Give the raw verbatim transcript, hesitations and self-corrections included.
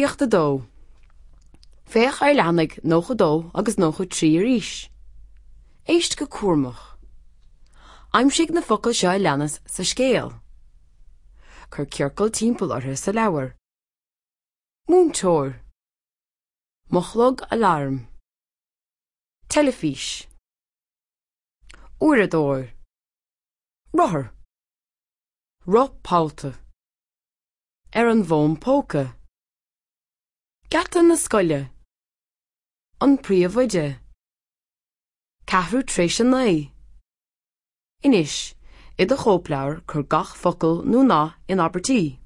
Gníomhaíocht a dó. Féach ar leathanaigh nócha dó agus nócha trí arís. Éist go cúramach. Aimsigh na focail seo a leanas sa scéal. Cuir ciorcal timpeall orthu sa leabhar. Múinteoir. Mo chlog aláraim. Teilifís. Uaireadóir. Rothar. Roth pollta. Ar an bhfón póca. Geata na scoile. An príomhoide. Ceathrú tar éis a naoi. Anois, i do chóipleabhar cuir gach focal nó nath in abairtí.